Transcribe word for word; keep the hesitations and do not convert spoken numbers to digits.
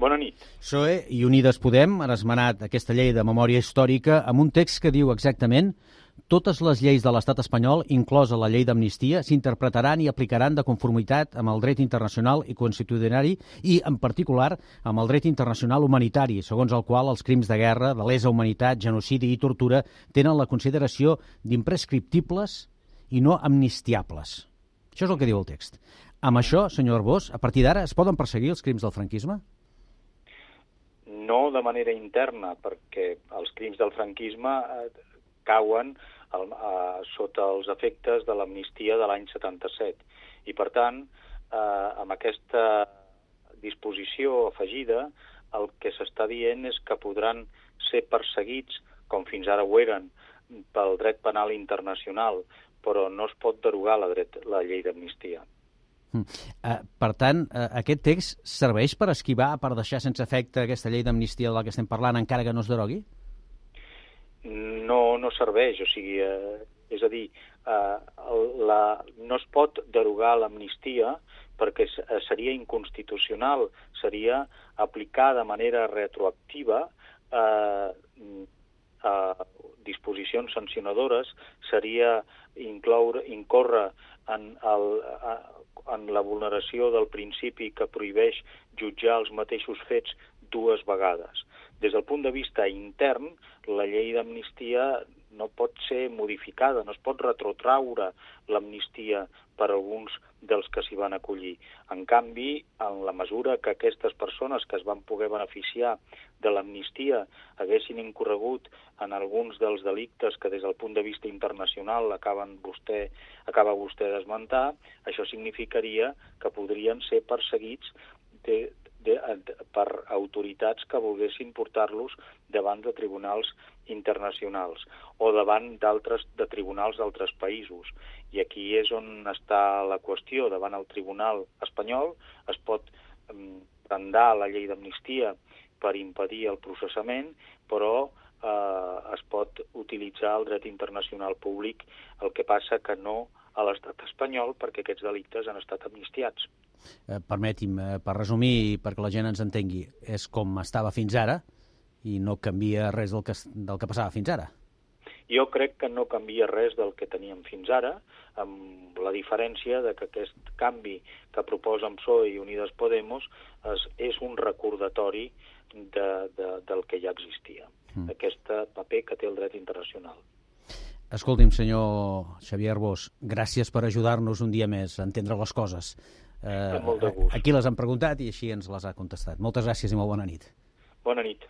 Bona nit. P S O E i Unides Podem han esmenat aquesta llei de memòria històrica amb un text que diu exactament: totes les lleis de l'estat espanyol, inclosa la llei d'amnistia, s'interpretaran i aplicaran de conformitat amb el dret internacional i constitucionari i, en particular, amb el dret internacional humanitari, segons el qual els crims de guerra, de lesa humanitat, genocidi i tortura tenen la consideració d'imprescriptibles i no amnistiables. Això és el que diu el text. Amb això, senyor Arbós, a partir d'ara es poden perseguir els crims del franquisme? No de manera interna, perquè els crims del franquisme eh, cauen el, eh, sota els efectes de l'amnistia de l'any setanta-set. I, per tant, eh, amb aquesta disposició afegida, el que s'està dient és que podran ser perseguits, com fins ara ho eren, pel dret penal internacional, però no es pot derogar la, dret, la llei d'amnistia. Uh, per tant, uh, aquest text serveix per esquivar, per deixar sense efecte aquesta llei d'amnistia de la que estem parlant, encara que no es derogui? No, no serveix, o sigui, eh, és a dir, eh, la, no es pot derogar l'amnistia perquè seria inconstitucional, seria aplicar de manera retroactiva eh, eh, disposicions sancionadores, seria incloure, incórrer en el... Eh, en la vulneració del principi que prohibeix jutjar els mateixos fets dues vegades. Des del punt de vista intern, la llei d'amnistia no pot ser modificada, no es pot retrotraure l'amnistia per alguns dels que s'hi van acollir. En canvi, en la mesura que aquestes persones que es van poder beneficiar de l'amnistia haguessin incorregut en alguns dels delictes que des del punt de vista internacional acaben vostè, acaba vostè d'esmentar, això significaria que podrien ser perseguits de, de, de, per autoritats que volguessin portar-los davant de tribunals internacionals o davant d'altres de tribunals d'altres països. I aquí és on està la qüestió. Davant el tribunal espanyol es pot prendar la llei d'amnistia per impedir el processament, però eh, es pot utilitzar el dret internacional públic, el que passa que no a l'estat espanyol, perquè aquests delictes han estat amnistiats. Eh, permeti'm, eh, per resumir i perquè la gent ens entengui, és com estava fins ara i no canvia res del que, del que passava fins ara. Jo crec que no canvia res del que teníem fins ara, amb la diferència de que aquest canvi que proposen P S O E i Unides Podemos és, és un recordatori de, de, del que ja existia, mm. aquest paper que té el dret internacional. Escolti'm, senyor Xavier Arbós, gràcies per ajudar-nos un dia més a entendre les coses. Eh, molt de gust. Aquí les han preguntat i així ens les ha contestat. Moltes gràcies i molt bona nit. Bona nit.